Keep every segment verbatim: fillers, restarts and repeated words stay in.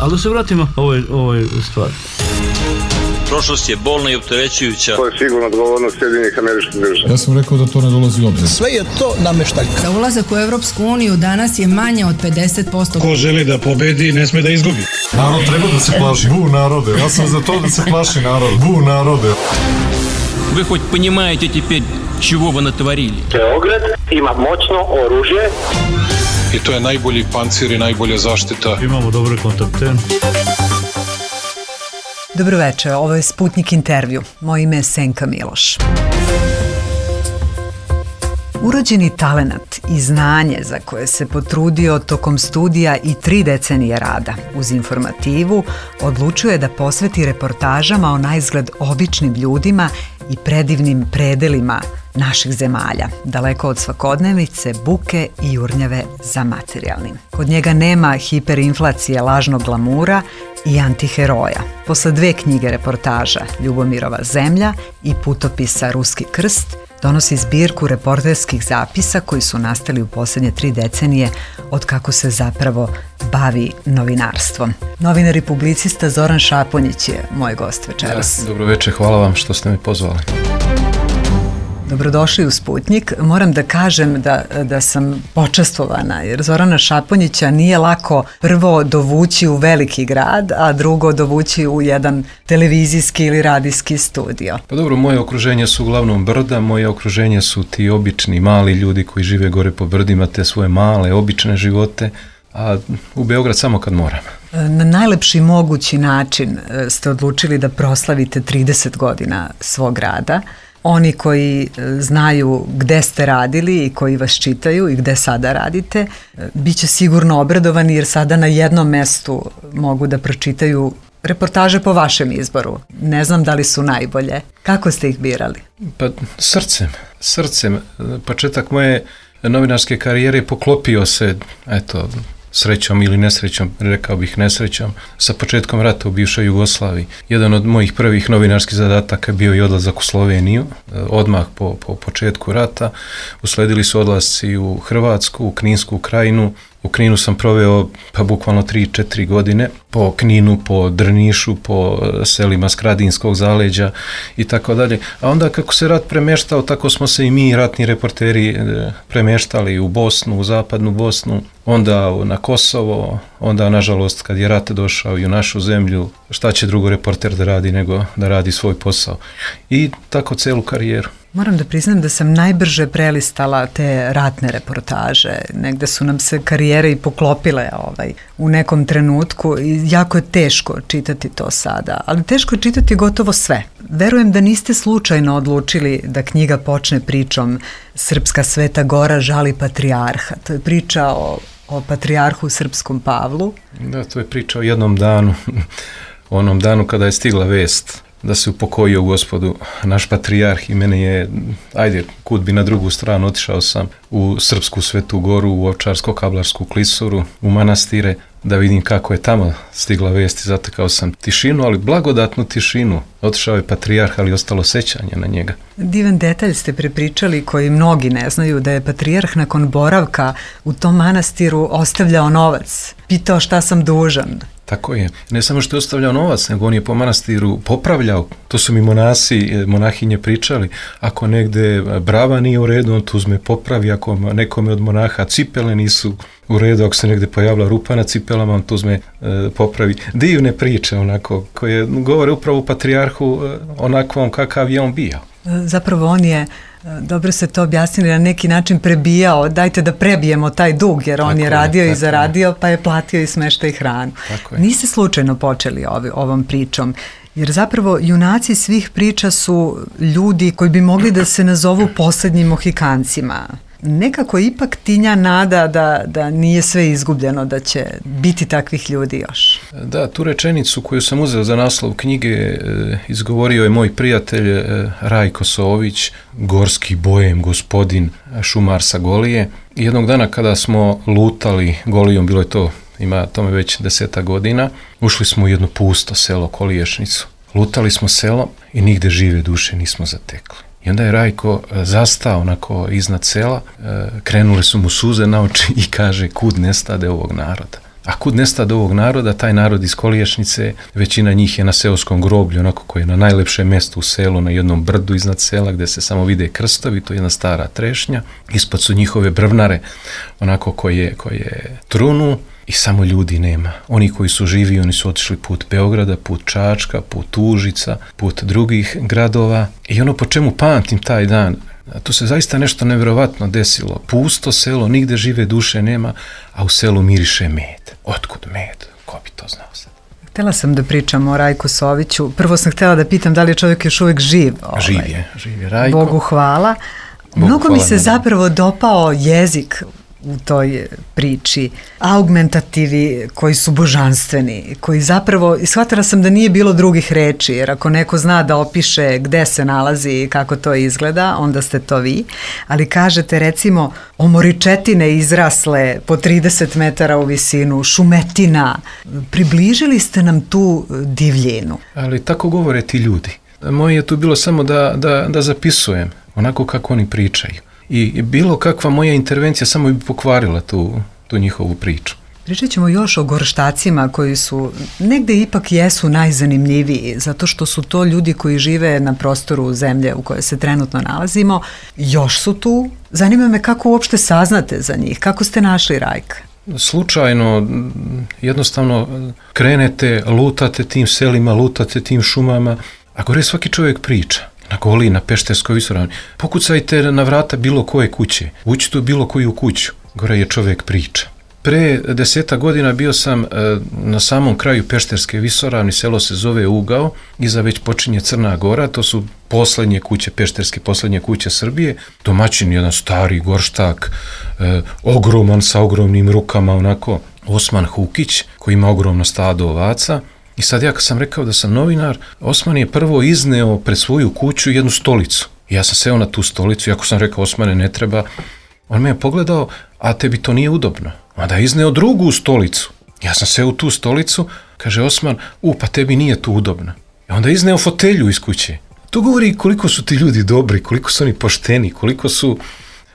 Ali da se vratimo ovoj, ovoj stvari. Prošlost je bolna i opterećujuća. To je sigurno odgovornost Sjedinjenih Američkih Država. Ja sam rekao da to ne dolazi u obzir. Sve je to nameštaljka. Za ulazak u Evropsku uniju danas je manje od pedeset posto. Ko želi da pobedi, ne sme da izgubi. Narod treba da se plaši. Bu narode. Ja sam za to da se plaši narod. Bu narode. Вы хоть понимаете теперь, чего вы натворили? Beograd ima moćno oružje. I to je najbolji pancir i najbolja zaštita. Imamo dobre kontakte. Dobro večer, ovo je Sputnik intervju. Moje ime je Senka Miloš. Urođeni talenat i znanje za koje se potrudio tokom studija i tri decenije rada uz informativu odlučuje da posveti reportažama o naizgled običnim ljudima i predivnim predelima naših zemalja, daleko od svakodnevice, buke i jurnjave za materijalnim. Kod njega nema hiperinflacije lažnog glamura i antiheroja. Posle dve knjige reportaža, Ljubomirova zemlja i putopisa Ruski krst, donosi zbirku reporterskih zapisa koji su nastali u posljednje tri decenije od kako se zapravo bavi novinarstvom. Novinar i publicista Zoran Šaponjić je moj gost večeras. Ja, dobro večer, hvala vam što ste me pozvali. Dobrodošli u Sputnik. Moram da kažem da, da sam počastvovana, jer Zorana Šaponjića nije lako prvo dovući u veliki grad, a drugo dovući u jedan televizijski ili radijski studio. Pa dobro, moje okruženje su uglavnom brda, moje okruženje su ti obični mali ljudi koji žive gore po brdima, te svoje male, obične živote, a u Beograd samo kad moram. Na najlepši mogući način ste odlučili da proslavite trideset godina svog rada. Oni koji znaju gde ste radili i koji vas čitaju i gde sada radite, bit će sigurno obradovani jer sada na jednom mestu mogu da pročitaju reportaže po vašem izboru. Ne znam da li su najbolje. Kako ste ih birali? Pa srcem. Srcem. Početak moje novinarske karijere poklopio se, eto, srećom ili nesrećom, rekao bih nesrećom, sa početkom rata u bivšoj Jugoslaviji. Jedan od mojih prvih novinarskih zadataka bio i odlazak u Sloveniju, odmah po, po početku rata. Usledili su odlasci u Hrvatsku, u Kninsku krajinu. U Kninu sam proveo pa bukvalno tri četiri godine, po Kninu, po Drnišu, po selima Skradinskog zaleđa i tako dalje. A onda kako se rat premještao, tako smo se i mi, ratni reporteri, premještali u Bosnu, u zapadnu Bosnu, onda na Kosovo, onda nažalost kad je rat došao i u našu zemlju, šta će drugo reporter da radi nego da radi svoj posao. I tako celu karijeru. Moram da priznam da sam najbrže prelistala te ratne reportaže. Negde su nam se karijere i poklopile ovaj, u nekom trenutku i jako je teško čitati to sada, ali teško je čitati gotovo sve. Verujem da niste slučajno odlučili da knjiga počne pričom Srpska Sveta Gora žali patrijarha. To je priča o, o patrijarhu Srpskom Pavlu. Da, to je priča o jednom danu, onom danu kada je stigla vest da se upokojio u Gospodu naš patrijarh i mene je, ajde, kud bi na drugu stranu, otišao sam u Srpsku Svetu Goru, u Ovčarsko-Kablarsku klisuru, u manastire, da vidim kako je tamo stigla vest i zatekao sam tišinu, ali blagodatnu tišinu. Otišao je patrijarh, ali ostalo sećanje na njega. Divan detalj ste prepričali koji mnogi ne znaju, da je patrijarh nakon boravka u tom manastiru ostavljao novac. Pitao šta sam dužan. Tako je. Ne samo što je ostavljao novac, nego on je po manastiru popravljao. To su mi monasi, monahinje pričali. Ako negde brava nije u redu, on tu uzme popravi. Ako nekome od monaha cipele nisu u redu, ako se negde pojavila rupa na cipelama, on tu uzme e, popravi. Divne priče, onako, koje govore upravo o patrijarhu e, onakvom kakav je on bio. Zapravo on je, dobro ste to objasnili, na neki način prebijao, dajte da prebijemo taj dug, jer on tako je radio je, i zaradio, pa je platio i smeštaj i hranu. Niste slučajno počeli ovi, ovom pričom, jer zapravo junaci svih priča su ljudi koji bi mogli da se nazovu poslednjim Mohikancima. Nekako ipak tinja nada da, da nije sve izgubljeno, da će biti takvih ljudi još. Da, tu rečenicu koju sam uzeo za naslov knjige e, izgovorio je moj prijatelj e, Rajko Sović, gorski bojem gospodin šumar sa Golije. I jednog dana kada smo lutali Golijom, bilo je to, ima tome već deseta godina, ušli smo u jedno pusto selo Koliješnicu. Lutali smo selom i nigde žive duše nismo zatekli. I onda je Rajko zastao onako iznad sela, krenule su mu suze na oči i kaže kud nestade ovog naroda. A kud nestade ovog naroda, taj narod iz Koliješnice, većina njih je na seoskom groblju, onako koje je na najlepšem mjestu u selu, na jednom brdu iznad sela gdje se samo vide krstovi, to je jedna stara trešnja. Ispod su njihove brvnare, onako koje, koje trunu i samo ljudi nema. Oni koji su živi, oni su otišli put Beograda, put Čačka, put Užica, put drugih gradova. I ono po čemu pamtim taj dan, to se zaista nešto nevjerovatno desilo. Pusto selo, nigde žive duše nema, a u selu miriše med. Otkud med? Ko bi to znao sad? Htjela sam da pričam o Rajku Soviću. Prvo sam htjela da pitam da li je čovjek još uvijek živ. Ovaj. Živ je, živ je Rajko. Bogu hvala. Bogu Mnogo hvala mi se nam. zapravo dopao jezik u toj priči, augmentativi koji su božanstveni, koji zapravo, shvatila sam da nije bilo drugih reči, jer ako neko zna da opiše gde se nalazi i kako to izgleda, onda ste to vi, ali kažete recimo omoričetine izrasle po trideset metara u visinu, šumetina, približili ste nam tu divljinu. Ali tako govore ti ljudi. Moje je tu bilo samo da, da, da zapisujem, onako kako oni pričaju. I bilo kakva moja intervencija samo bi pokvarila tu, tu njihovu priču. Pričat ćemo još o gorštacima koji su negde ipak jesu najzanimljiviji, zato što su to ljudi koji žive na prostoru zemlje u kojoj se trenutno nalazimo. Još su tu. Zanima me kako uopšte saznate za njih, kako ste našli Rajka? Slučajno, jednostavno krenete, lutate tim selima, lutate tim šumama, a gore svaki čovjek priča. Na Goli, na Pešterskoj visoravni. Pokucajte na vrata bilo koje kuće. Uđite u bilo koju kuću. Gore je čovjek priča. Pre deseta godina bio sam e, na samom kraju Pešterske visoravni, selo se zove Ugao, iza već počinje Crna Gora, to su posljednje kuće, Pešterske posljednje kuće Srbije. Domaćin, jedan stari gorštak, e, ogroman sa ogromnim rukama, onako, Osman Hukić, koji ima ogromno stado ovaca. I sad ja kad sam rekao da sam novinar, Osman je prvo izneo pred svoju kuću jednu stolicu. I ja sam seo na tu stolicu, iako sam rekao Osmane ne treba, on me je pogledao, a tebi to nije udobno. Onda je izneo drugu stolicu. Ja sam seo u tu stolicu, kaže Osman, u pa tebi nije tu udobno. I onda je izneo fotelju iz kuće. To govori koliko su ti ljudi dobri, koliko su oni pošteni, koliko su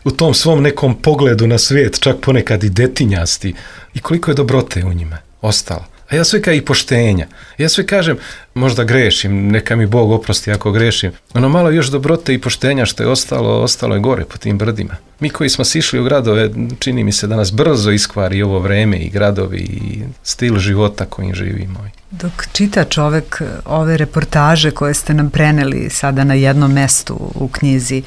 u tom svom nekom pogledu na svijet, čak ponekad i detinjasti, i koliko je dobrote u njima ostalo. A ja sve kao i poštenja. Ja sve kažem, možda grešim, neka mi Bog oprosti ako grešim. Ono malo još dobrote i poštenja što je ostalo, ostalo je gore po tim brdima. Mi koji smo sišli u gradove, čini mi se da nas brzo iskvari ovo vreme i gradovi i stil života kojim živimo. Dok čita čovek ove reportaže koje ste nam preneli sada na jednom mestu u knjizi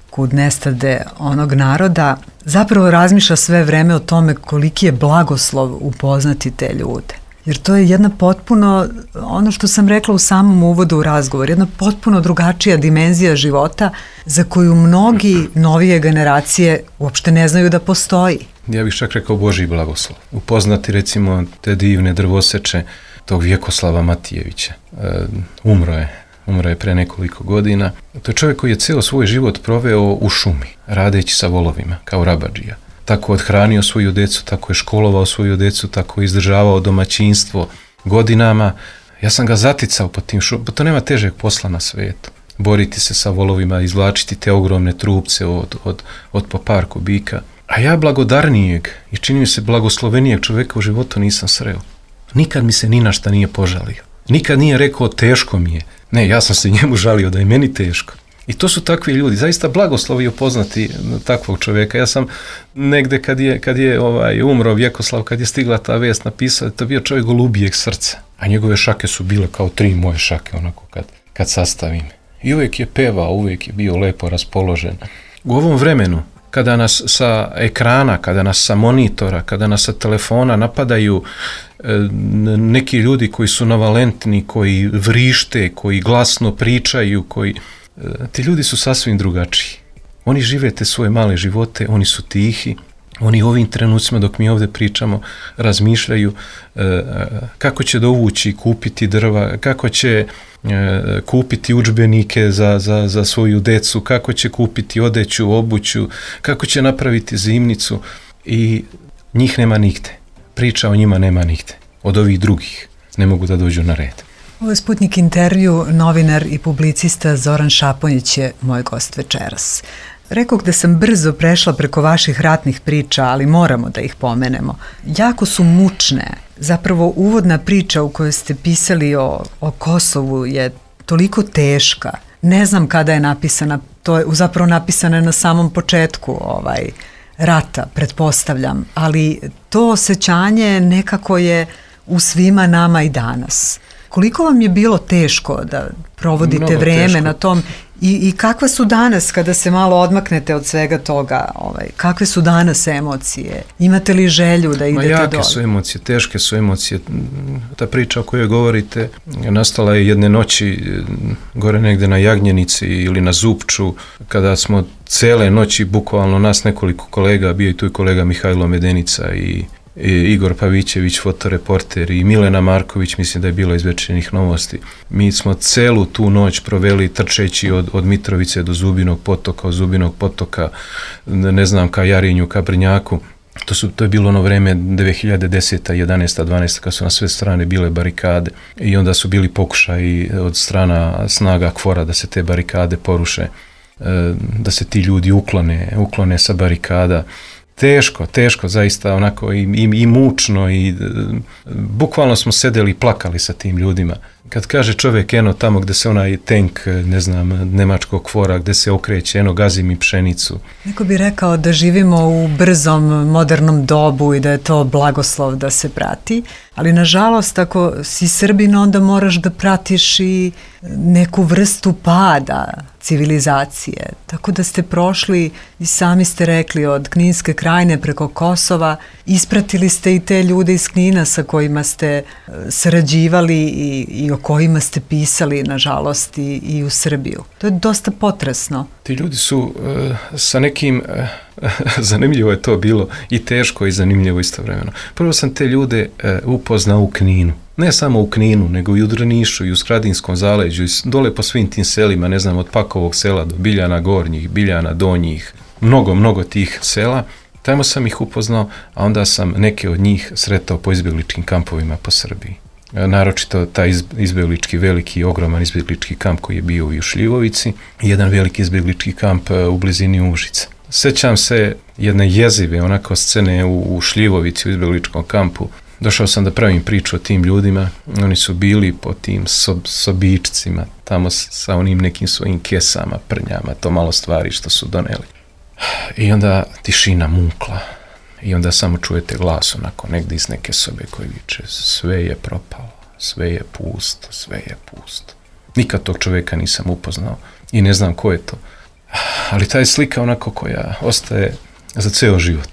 Kud nestade onog naroda, zapravo razmišlja sve vreme o tome koliki je blagoslov upoznati te ljude. Jer to je jedna potpuno, ono što sam rekla u samom uvodu u razgovor, jedna potpuno drugačija dimenzija života za koju mnogi novije generacije uopšte ne znaju da postoji. Ja bih čak rekao Božji blagoslov. Upoznati recimo te divne drvoseče tog Vjekoslava Matijevića. E, umro je, umro je pre nekoliko godina. To je čovjek koji je ceo svoj život proveo u šumi, radeći sa volovima, kao rabadžija. Tako odhranio svoju decu, tako je školovao svoju decu, tako je izdržavao domaćinstvo godinama. Ja sam ga zaticao po tim šumama, to nema težeg posla na svijetu. Boriti se sa volovima, izvlačiti te ogromne trupce od, od, od po par kubika. A ja blagodarnijeg i čini mi se blagoslovenijeg čovjeka u životu nisam sreo. Nikad mi se ni na šta nije požalio. Nikad nije rekao teško mi je. Ne, ja sam se njemu žalio da je meni teško. I to su takvi ljudi, zaista blagoslovi upoznati takvog čovjeka. Ja sam negde kad je, kad je ovaj, umro Vjekoslav, kad je stigla ta vijest, napisao, to je bio čovjek golubijeg srca. A njegove šake su bile kao tri moje šake, onako kad, kad sastavim. I uvijek je pevao, uvijek je bio lepo raspoložen. U ovom vremenu, kada nas sa ekrana, kada nas sa monitora, kada nas sa telefona napadaju e, neki ljudi koji su navalentni, koji vrište, koji glasno pričaju, koji... Ti ljudi su sasvim drugačiji. Oni žive te svoje male živote, oni su tihi, oni u ovim trenucima dok mi ovdje pričamo razmišljaju e, kako će dovući, kupiti drva, kako će e, kupiti udžbenike za, za, za svoju decu, kako će kupiti odeću, obuću, kako će napraviti zimnicu i njih nema nigde. Priča o njima nema nigde. Od ovih drugih ne mogu da dođu na red. Ovo je Sputnik intervju, novinar i publicista Zoran Šaponjić je moj gost večeras. Rekoh da sam brzo prešla preko vaših ratnih priča, ali moramo da ih pomenemo. Jako su mučne. Zapravo uvodna priča u kojoj ste pisali o, o Kosovu je toliko teška. Ne znam kada je napisana, to je zapravo napisana na samom početku ovaj, rata, pretpostavljam, ali to osjećanje nekako je u svima nama i danas. Koliko vam je bilo teško da provodite Mnogo vreme teško. na tom i, i kakve su danas, kada se malo odmaknete od svega toga, ovaj, kakve su danas emocije? Imate li želju da idete Ma jake dole? su emocije, teške su emocije. Ta priča o kojoj govorite nastala je jedne noći gore negde na Jagnjenici ili na Zupču, kada smo cele noći, bukvalno nas nekoliko kolega, bio i tu i kolega Mihajlo Medenica i I Igor Pavićević, fotoreporter, i Milena Marković, mislim da je bilo iz Večernjih novosti. Mi smo celu tu noć proveli trčeći od, od Mitrovice do Zubinog potoka, od Zubinog potoka, ne znam, ka Jarinju, ka Brnjaku. To, su, to je bilo ono vreme dve hiljade deseta, jedanaesta, dvanaesta kad su na sve strane bile barikade i onda su bili pokušaji od strana snaga KFOR-a da se te barikade poruše, da se ti ljudi uklone, uklone sa barikada. Teško, teško, zaista onako i, i, i mučno i bukvalno smo sedeli i plakali sa tim ljudima. Kad kaže čovjek eno tamo gde se onaj tank, ne znam, nemačkog KFOR-a, gde se okreće, eno gazi mi pšenicu. Neko bi rekao da živimo u brzom, modernom dobu i da je to blagoslov da se prati, ali nažalost ako si Srbin onda moraš da pratiš i neku vrstu pada civilizacije. Tako da ste prošli i sami ste rekli od Kninske krajine preko Kosova, ispratili ste i te ljude iz Knina sa kojima ste sarađivali i, i o kojima ste pisali, nažalost, i, i u Srbiju. To je dosta potresno. Ti ljudi su uh, sa nekim, uh, zanimljivo je to bilo, i teško i zanimljivo istovremeno. Prvo sam te ljude uh, upoznao u Kninu. Ne samo u Kninu, nego i u Drnišu i u Skradinskom zaleđu i dole po svim tim selima, ne znam, od Pakovog sela do Biljana Gornjih, Biljana Donjih, mnogo, mnogo tih sela. Tamo sam ih upoznao, a onda sam neke od njih sretao po izbjegličkim kampovima po Srbiji. Naročito taj izbjeglički, veliki, ogroman izbjeglički kamp koji je bio u Šljivovici i jedan veliki izbjeglički kamp u blizini Užica. Sećam se jedne jezive onako scene u, u Šljivovici u izbjegličkom kampu. Došao sam da pravim priču o tim ljudima, oni su bili po tim sob, sobičcima, tamo sa onim nekim svojim kesama, prnjama, to malo stvari što su doneli. I onda tišina mukla i onda samo čujete glas onako negdje iz neke sobe koji viče sve je propalo, sve je pusto, sve je pusto. Nikad tog čovjeka nisam upoznao i ne znam ko je to, ali ta je slika onako koja ostaje za ceo život.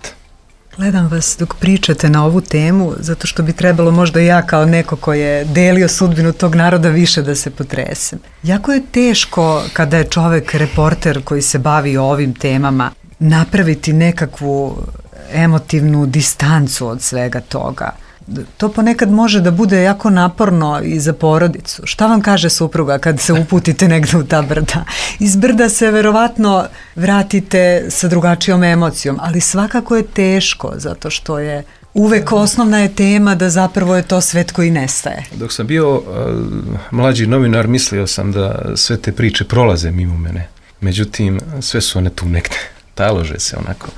Gledam vas dok pričate na ovu temu, zato što bi trebalo možda ja kao neko ko je delio sudbinu tog naroda više da se potresem. Jako je teško kada je čovek reporter koji se bavi ovim temama napraviti nekakvu emotivnu distancu od svega toga. To ponekad može da bude jako naporno i za porodicu. Šta vam kaže supruga kad se uputite negde u ta brda? Iz brda se verovatno vratite sa drugačijom emocijom, ali svakako je teško, zato što je uvek osnovna je tema da zapravo je to svet koji nestaje. Dok sam bio uh, mlađi novinar, mislio sam da sve te priče prolaze mimo mene. Međutim, sve su one tu negde. Talože se onako.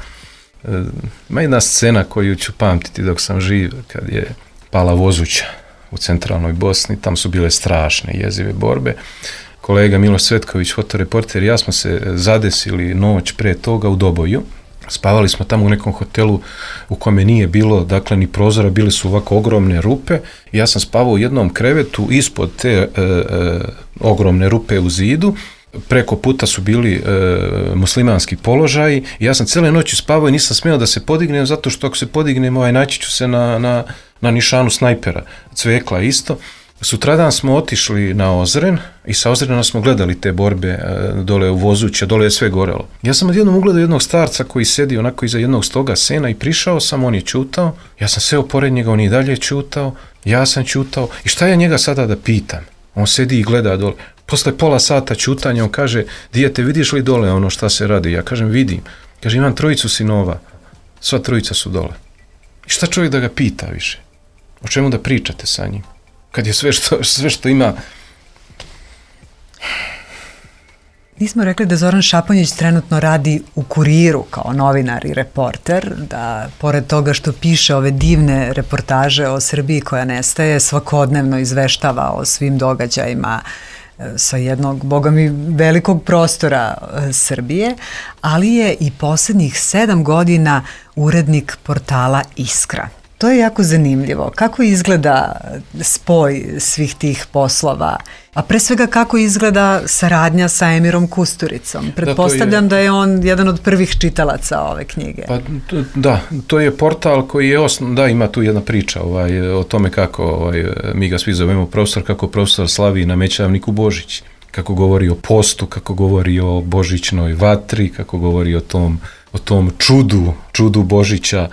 Ima jedna scena koju ću pamtiti dok sam živ, kad je pala Vozuća u centralnoj Bosni, tam su bile strašne jezive borbe. Kolega Miloš Cvetković, fotoreporter, ja smo se zadesili noć pre toga u Doboju. Spavali smo tamo u nekom hotelu u kome nije bilo, dakle, ni prozora, bile su ovako ogromne rupe. Ja sam spavao u jednom krevetu ispod te e, e, ogromne rupe u zidu. Preko puta su bili e, muslimanski položaji i ja sam cijele noći spavao i nisam smio da se podignem, zato što ako se podignem, ovaj, naći ću se na, na, na nišanu snajpera, Cvekla isto. Sutradan smo otišli na Ozren i sa Ozrena smo gledali te borbe e, dole u Vozuća, dole je sve gorelo. Ja sam odjednom ugledao jednog starca koji sedi onako iza jednog stoga sena i prišao sam, on je ćutao, ja sam seo pored njega, on je dalje ćutao, ja sam ćutao i šta ja njega sada da pitam? On sedi i gleda dole. Posle pola sata ćutanja on kaže, dijete, vidiš li dole ono šta se radi? Ja kažem, vidim. Kaže, imam trojicu sinova, sva trojica su dole. I šta čovjek da ga pita više? O čemu da pričate sa njim? Kad je sve što, sve što ima Nismo rekli da Zoran Šaponjić trenutno radi u Kuriru kao novinar i reporter, da pored toga što piše ove divne reportaže o Srbiji koja nestaje, svakodnevno izveštava o svim događajima sa jednog, boga mi, velikog prostora Srbije, ali je i poslednjih sedam godina urednik portala Iskra. To je jako zanimljivo. Kako izgleda spoj svih tih poslova, a pre svega kako izgleda saradnja sa Emirom Kusturicom? Pretpostavljam da, je... da je on jedan od prvih čitalaca ove knjige. Pa, da, to je portal koji je osnovan, da, ima tu jedna priča ovaj, o tome kako, ovaj, mi ga svi zovemo profesor, kako profesor slavi na Mećavniku Božić, kako govori o postu, kako govori o božićnoj vatri, kako govori o tom o tom čudu, čudu Božića,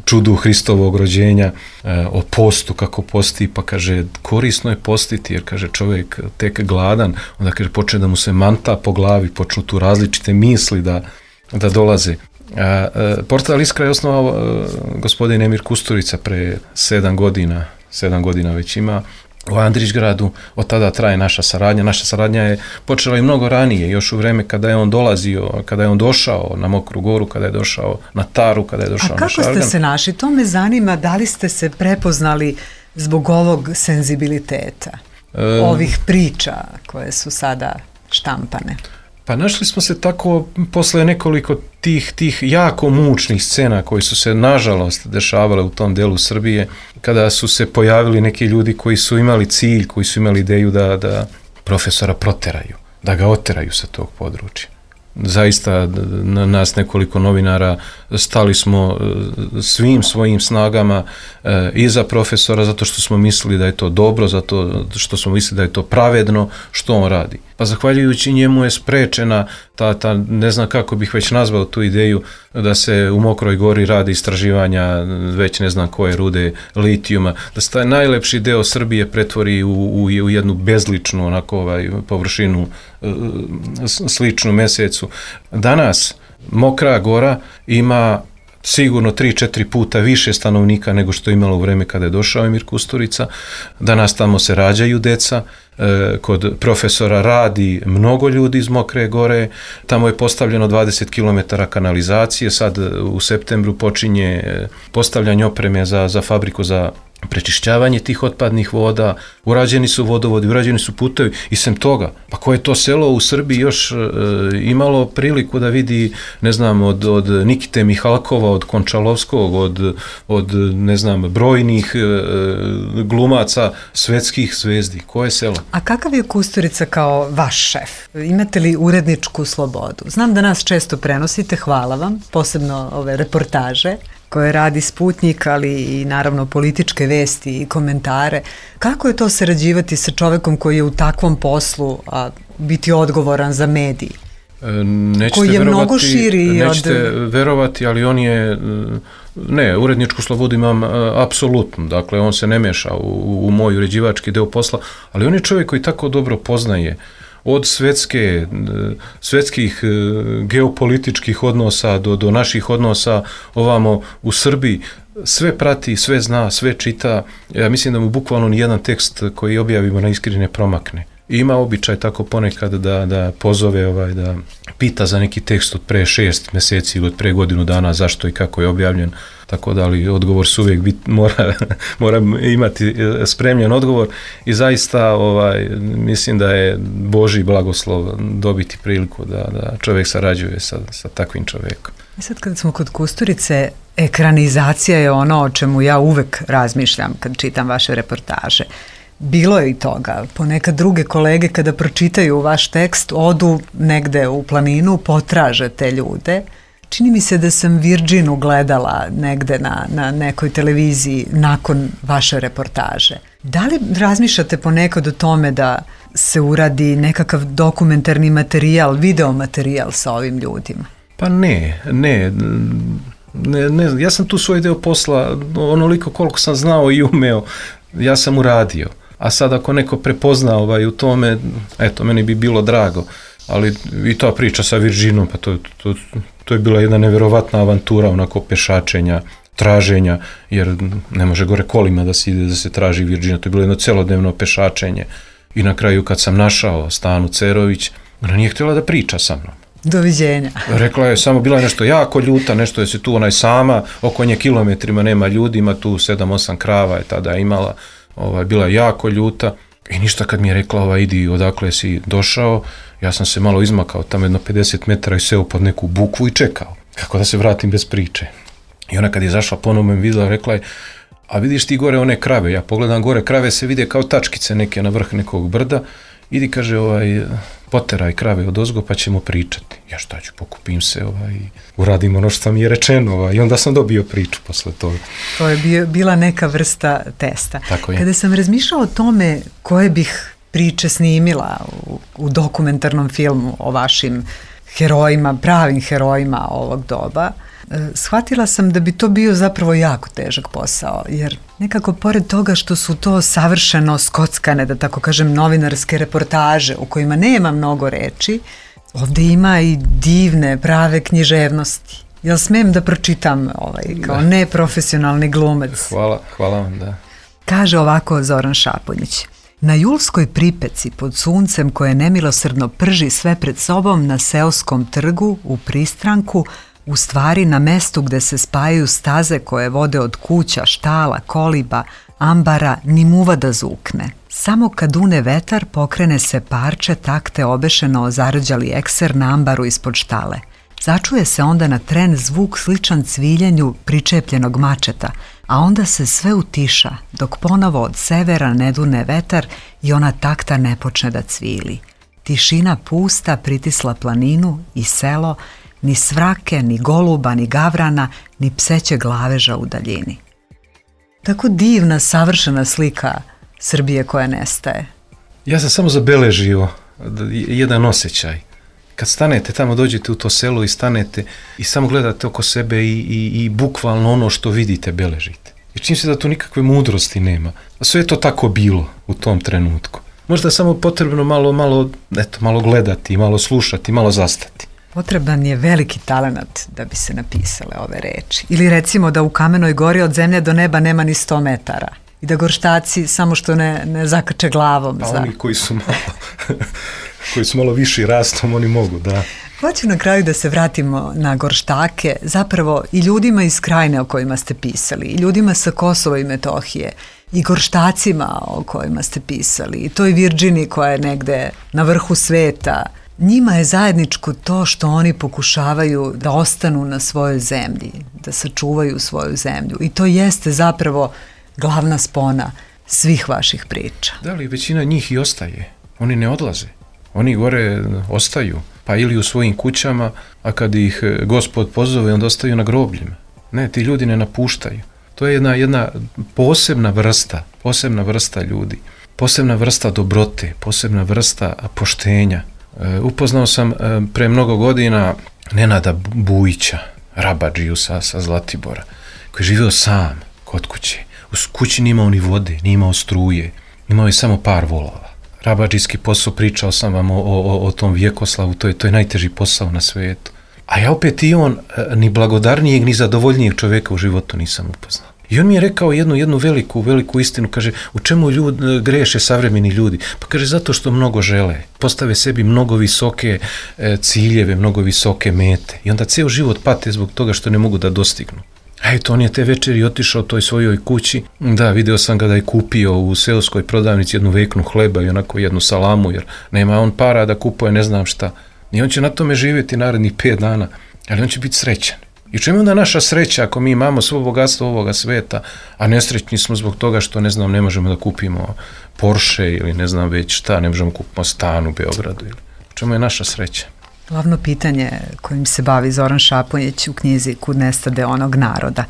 čudu Hristovog rođenja, o postu, kako posti, pa kaže, korisno je postiti, jer kaže, čovjek tek gladan, onda kaže, počne da mu se manta po glavi, počnu tu različite misli da, da dolaze. A, a, portal Iskra je osnovao a, gospodin Emir Kusturica pre sedam godina, sedam godina već ima, u Andrićgradu. Od tada traje naša saradnja. Naša saradnja je počela i mnogo ranije, još u vreme kada je on dolazio, kada je on došao na Mokru Goru, kada je došao na Taru, kada je došao na Šargan. A kako ste se našli? To me zanima, da li ste se prepoznali zbog ovog senzibiliteta, e, ovih priča koje su sada štampane? Pa našli smo se tako posle nekoliko tih, tih jako mučnih scena koji su se nažalost dešavale u tom delu Srbije, kada su se pojavili neki ljudi koji su imali cilj, koji su imali ideju da, da profesora proteraju, da ga oteraju sa tog područja. Zaista na nas nekoliko novinara stali smo svim svojim snagama e, iza profesora, zato što smo mislili da je to dobro, zato što smo mislili da je to pravedno što on radi. Pa zahvaljujući njemu je sprečena ta, ta, ne znam kako bih već nazvao tu ideju, da se u Mokroj Gori radi istraživanja već ne znam koje rude litijuma, da se taj najlepši deo Srbije pretvori u, u, u jednu bezličnu onako ovaj, površinu sličnu Mesecu. Danas Mokra Gora ima sigurno tri četiri puta više stanovnika nego što je imalo u vreme kada je došao Emir Kusturica. Danas tamo se rađaju deca, kod profesora radi mnogo ljudi iz Mokre Gore, tamo je postavljeno dvadeset kilometara kanalizacije, sad u septembru počinje postavljanje opreme za, za fabriku za prečišćavanje tih otpadnih voda, urađeni su vodovodi, urađeni su putevi i sem toga, pa koje to selo u Srbiji još e, imalo priliku da vidi, ne znam, od, od Nikite Mihalkova, od Končalovskog, od, od ne znam, brojnih e, glumaca svetskih zvezdi, koje selo? A kakav je Kusturica kao vaš šef? Imate li uredničku slobodu? Znam da nas često prenosite, hvala vam, posebno ove reportaže koje radi Sputnjik, ali i naravno političke vesti i komentare. Kako je to sarađivati sa čovekom koji je u takvom poslu, a biti odgovoran za mediji? Nećete koji je verovati, mnogo širi nećete od... verovati, ali on je, ne, uredničku slobodu imam apsolutno, dakle on se ne meša u, u moj uređivački deo posla, ali on je čovjek koji tako dobro poznaje od svetske, svetskih geopolitičkih odnosa do, do naših odnosa ovamo u Srbiji, sve prati, sve zna, sve čita. Ja mislim da mu bukvalno nijedan tekst koji objavimo na Iskri ne promakne. I ima običaj tako ponekad da, da pozove, ovaj, da pita za neki tekst od pre šest mjeseci ili od pre godinu dana zašto i kako je objavljen. Tako da, ali odgovor su uvijek bit, mora, mora imati spremljen odgovor i zaista ovaj, mislim da je Božji blagoslov dobiti priliku da, da čovjek sarađuje sa, sa takvim čovjekom. I sad kad smo kod Kusturice, ekranizacija je ono o čemu ja uvek razmišljam kad čitam vaše reportaže. Bilo je i toga. Ponekad druge kolege kada pročitaju vaš tekst odu negde u planinu, potraže te ljude. Čini mi se da sam Virginu gledala negde na, na nekoj televiziji nakon vaše reportaže. Da li razmišljate ponekad o tome da se uradi nekakav dokumentarni materijal, video materijal sa ovim ljudima? Pa ne, ne, ne, ne. Ja sam tu svoj deo posla, onoliko koliko sam znao i umeo, ja sam uradio. A sad ako neko prepozna ovaj u tome, eto, meni bi bilo drago. Ali i ta priča sa Virginom, pa to, to, to je bila jedna nevjerovatna avantura, onako pešačenja, traženja, jer ne može gore kolima da se ide da se traži Virgina, to je bilo jedno celodnevno pešačenje. I na kraju kad sam našao Stanu Cerović, Ona nije htjela da priča sa mnom. Doviđenja. Rekla je, samo bila je nešto jako ljuta, nešto je se tu onaj sama, oko nje kilometrima nema ljudi, ima tu sedam osam krava je tada imala, ovaj, bila je jako ljuta i ništa kad mi je rekla, ovaj, idi odakle si došao, ja sam se malo izmakao tamo jedno pedeset metara i seo pod neku bukvu i čekao, kako da se vratim bez priče. I ona kad je zašla ponovno me vidjela, rekla je, a vidiš ti gore one krave, ja pogledam gore, krave se vide kao tačkice neke na vrh nekog brda, idi, kaže, ovaj, poteraj krave od ozgo pa ćemo pričati. Ja šta ću, pokupim se, ovaj, uradim ono što mi je rečeno, ovaj, i onda sam dobio priču posle toga. To je bio, bila neka vrsta testa. Tako je. Kada sam razmišljala o tome koje bih priče snimila u, u dokumentarnom filmu o vašim herojima, pravim herojima ovog doba, shvatila sam da bi to bio zapravo jako težak posao, jer nekako pored toga što su to savršeno skockane, da tako kažem, novinarske reportaže u kojima nema mnogo reči, ovde ima i divne, prave književnosti. Jel smem da pročitam ovaj, kao da. Neprofesionalni glumac? Hvala, hvala vam, da. Kaže ovako Zoran Šaponjić. Na julskoj pripeci pod suncem koje nemilosrdno prži sve pred sobom na seoskom trgu u pristranku, u stvari na mestu gde se spajaju staze koje vode od kuća, štala, koliba, ambara, ni muva da zukne. Samo kad une vetar pokrene se parče takte obešeno o zarđali ekser na ambaru ispod štale. Začuje se onda na tren zvuk sličan cviljenju pričepljenog mačeta, a onda se sve utiša dok ponovo od severa ne dune vetar i ona takta ne počne da cvili. Tišina pusta pritisla planinu i selo, ni svrake, ni goluba, ni gavrana, ni pseće glaveža u daljini. Tako divna, savršena slika Srbije koja nestaje. Ja sam samo zabeležio jedan osjećaj. Kad stanete tamo, dođete u to selo i stanete i samo gledate oko sebe i, i, i bukvalno ono što vidite beležite. I čini se da tu nikakve mudrosti nema. A sve je to tako bilo u tom trenutku. Možda je samo potrebno malo, malo, eto, malo gledati, malo slušati, malo zastati. Potreban je veliki talenat da bi se napisale ove reči. Ili recimo da u Kamenoj gori od zemlje do neba nema ni sto metara. I da gorštaci samo što ne, ne zakače glavom. Pa za... oni koji su malo, koji su malo viši rastom, oni mogu, da. Hoću na kraju da se vratimo na gorštake, zapravo i ljudima iz krajine o kojima ste pisali, i ljudima sa Kosova i Metohije, i gorštacima o kojima ste pisali, i toj Virđini koja je negde na vrhu sveta. Njima je zajedničko to što oni pokušavaju da ostanu na svojoj zemlji, da sačuvaju svoju zemlju. I to jeste zapravo glavna spona svih vaših priča. Da li većina njih i ostaje? Oni ne odlaze. Oni gore ostaju, pa ili u svojim kućama, a kad ih Gospod pozove, onda ostaju na grobljima. Ne, ti ljudi ne napuštaju. To je jedna, jedna posebna vrsta, posebna vrsta ljudi, posebna vrsta dobrote, posebna vrsta poštenja. Upoznao sam pre mnogo godina Nenada Bujića, rabadžiju sa, sa Zlatibora, koji je živio sam kod kuće. U kući nije imao ni vode, nije imao struje, imao je samo par volova. Rabadžijski posao, pričao sam vam o, o, o tom vjekoslavu, to je, to je najteži posao na svijetu. A ja opet i on, ni blagodarnijeg, ni zadovoljnijeg čovjeka u životu nisam upoznao. I on mi je rekao jednu, jednu veliku, veliku istinu, kaže, u čemu ljud, greše savremeni ljudi? Pa kaže, zato što mnogo žele, postave sebi mnogo visoke e, ciljeve, mnogo visoke mete. I onda ceo život pate zbog toga što ne mogu da dostignu. A eto, on je te večeri otišao toj svojoj kući, da, video sam ga da je kupio u seoskoj prodavnici jednu veknu hleba i onako jednu salamu, jer nema on para da kupuje ne znam šta. I on će na tome živjeti narednih pet dana, ali on će biti srećan. I čemu onda naša sreća ako mi imamo svo bogatstvo ovoga sveta, a nesrećni smo zbog toga što, ne znam, ne možemo da kupimo Porsche ili ne znam već šta, ne možemo kupiti stan u Beogradu. Ili. Čemu je naša sreća? Glavno pitanje kojim se bavi Zoran Šaponjić u knjizi Kud nestade onog naroda.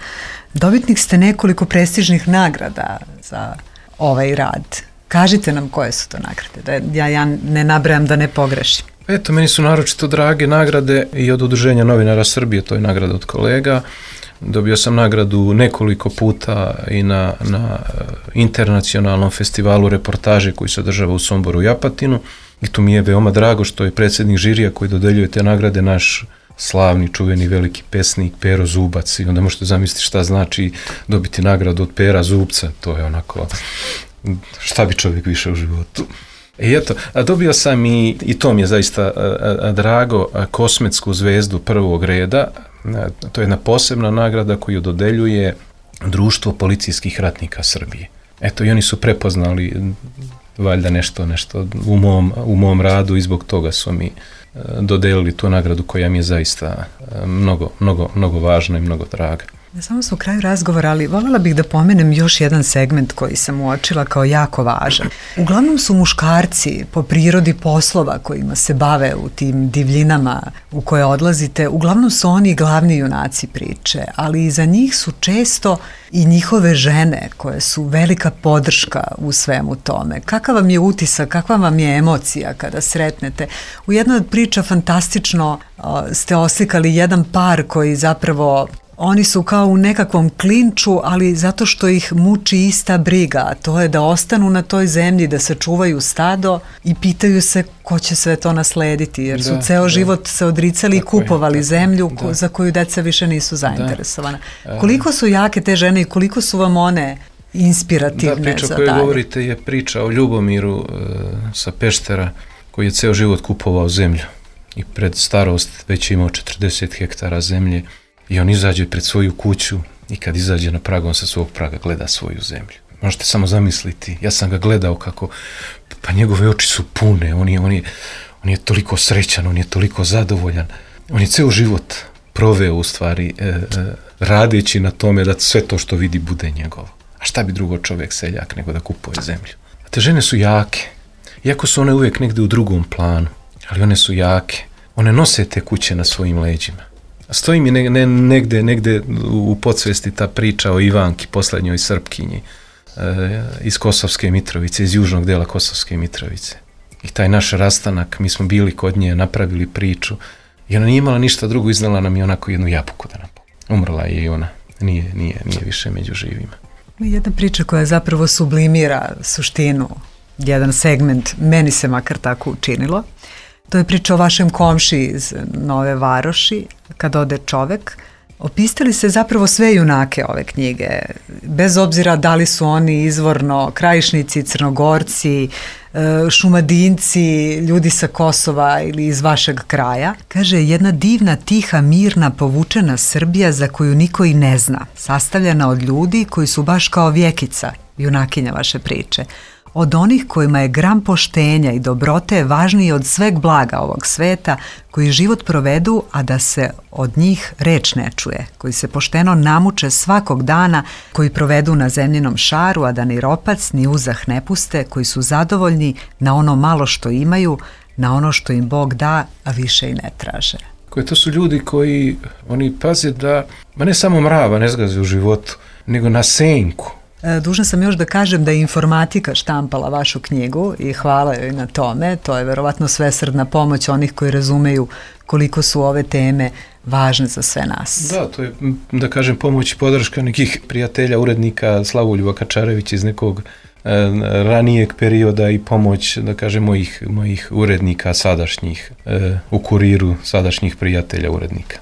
Dobitnik ste nekoliko prestižnih nagrada za ovaj rad. Kažite nam koje su to nagrade, da ja, ja ne nabrajam da ne pogrešim. Eto, meni su naročito drage nagrade i od Udruženja novinara Srbije, to je nagrada od kolega. Dobio sam nagradu nekoliko puta i na, na internacionalnom festivalu reportaže koji se održava u Somboru i Apatinu. I tu mi je veoma drago što je predsjednik žirija koji dodeljuje te nagrade naš slavni, čuveni, veliki pesnik Pero Zubac. I onda možete zamisliti šta znači dobiti nagradu od Pera Zubca. To je onako, šta bi čovjek više u životu. I eto, a dobio sam i, i to mi je zaista a, a, drago, a, Kosmetsku zvezdu prvog reda. A, to je jedna posebna nagrada koju dodeljuje Društvo policijskih ratnika Srbije. Eto, i oni su prepoznali valjda nešto, nešto u mom, u mom radu i zbog toga su mi a, dodelili tu nagradu koja mi je zaista a, mnogo, mnogo, mnogo važna i mnogo draga. Samo smo u kraju razgovora, ali voljela bih da pomenem još jedan segment koji sam uočila kao jako važan. Uglavnom su muškarci po prirodi poslova kojima se bave u tim divljinama u koje odlazite, uglavnom su oni glavni junaci priče, ali iza njih su često i njihove žene koje su velika podrška u svemu tome. Kakav vam je utisak, kakva vam je emocija kada sretnete? U jednoj od priča fantastično uh, ste oslikali jedan par koji zapravo oni su kao u nekakvom klinču, ali zato što ih muči ista briga, a to je da ostanu na toj zemlji, da sačuvaju stado i pitaju se ko će sve to naslediti, jer su da, ceo da. život se odricali tako i kupovali je, zemlju da. za koju deca više nisu zainteresovana. Da. Koliko su jake te žene i koliko su vam one inspirativne za dalje? Da, priča koju govorite je priča o Ljubomiru uh, sa Peštera, koji je ceo život kupovao zemlju i pred starost već je imao četrdeset hektara zemlje. I on izađe pred svoju kuću i kad izađe na prag, on sa svog praga gleda svoju zemlju. Možete samo zamisliti, ja sam ga gledao kako, pa njegove oči su pune, on je, on je, on je toliko srećan, on je toliko zadovoljan. On je ceo život proveo u stvari e, e, radeći na tome da sve to što vidi bude njegovo. A šta bi drugo čovjek seljak nego da kupuje zemlju? A te žene su jake, iako su one uvijek negde u drugom planu, ali one su jake. One nose te kuće na svojim leđima. Stoji mi ne, ne, negde, negde u podsvesti ta priča o Ivanki, poslednjoj Srpkinji e, iz Kosovske Mitrovice, iz južnog dela Kosovske Mitrovice. I taj naš rastanak, mi smo bili kod nje, napravili priču i ona nije imala ništa drugo, iznala nam je onako jednu jabuku da nam pomogne. Umrla je i ona, nije, nije, nije više među živima. Jedna priča koja zapravo sublimira suštinu, jedan segment, meni se makar tako učinilo. To je priča o vašem komši iz Nove Varoši, kad ode čovek. Opisali se zapravo sve junake ove knjige, bez obzira da li su oni izvorno Krajišnici, Crnogorci, Šumadinci, ljudi sa Kosova ili iz vašeg kraja. Kaže, jedna divna, tiha, mirna, povučena Srbija za koju niko i ne zna, sastavljena od ljudi koji su baš kao Vjekica, junakinja vaše priče. Od onih kojima je gram poštenja i dobrote važniji od sveg blaga ovog sveta, koji život provedu, a da se od njih reč ne čuje, koji se pošteno namuče svakog dana, koji provedu na zemljinom šaru, a da ni ropac ni uzah ne puste, koji su zadovoljni na ono malo što imaju, na ono što im Bog da, a više i ne traže. Koje to su ljudi koji, oni paze da, ma ne samo mrava ne zgaze u životu, nego na senku. Dužna sam još da kažem da je informatika štampala vašu knjigu i hvala joj na tome. To je verovatno svesrdna pomoć onih koji razumeju koliko su ove teme važne za sve nas. Da, to je, da kažem, pomoć i podrška nekih prijatelja, urednika Slavuljuba Kačarevića iz nekog e, ranijeg perioda i pomoć, da kažem, mojih, mojih urednika sadašnjih, e, u Kuriru sadašnjih prijatelja urednika.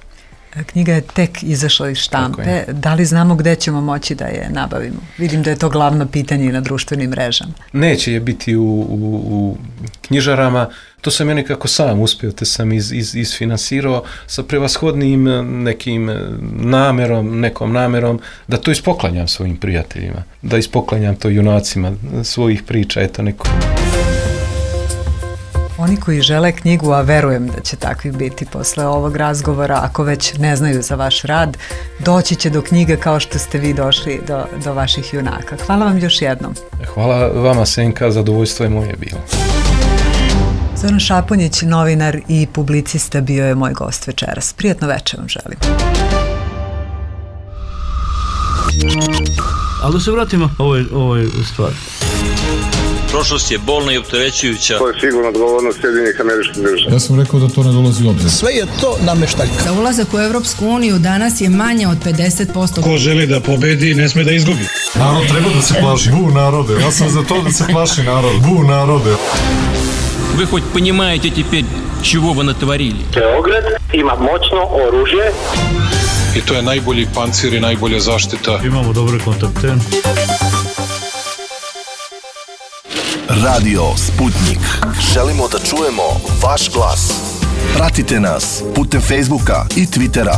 Knjiga je tek izašla iz štampe. Da li znamo gde ćemo moći da je nabavimo? Vidim da je to glavno pitanje i na društvenim mrežama. Neće je biti u, u, u knjižarama. To sam ja nekako sam uspio, te sam iz, iz, isfinansirao sa prevashodnim nekim namerom, nekom namerom, da to ispoklanjam svojim prijateljima, da ispoklanjam to junacima svojih priča, eto neko. Oni koji žele knjigu, a verujem da će takvih biti posle ovog razgovora, ako već ne znaju za vaš rad, doći će do knjige kao što ste vi došli do, do vaših junaka. Hvala vam još jednom. Hvala vama, Senka, zadovoljstvo je moje bilo. Zoran Šaponjić, novinar i publicista, bio je moj gost večeras. Prijatno večer vam želim. Ali da se vratimo ovoj, ovoj stvari. Prošlost je bolna i opterećujuća. To je sigurno odgovornost Sjedinjenih Američkih Država. Ja sam rekao da to ne dolazi u obzir. Sve je to nameštaljka. Za ulazak u Evropsku uniju danas je manje od pedeset posto. Ko želi da pobedi, ne sme da izgubi. Narod treba da se plaši. Bu narode. Ja sam za to da se plaši narod. Bu narode. Вы хоть понимаете теперь, чего вы натворили? Beograd ima moćno oružje. I to je najbolji pancir i najbolja zaštita. Imamo dobre kontakte. Radio Sputnik. Želimo da čujemo vaš glas. Pratite nas putem Facebooka i Twittera.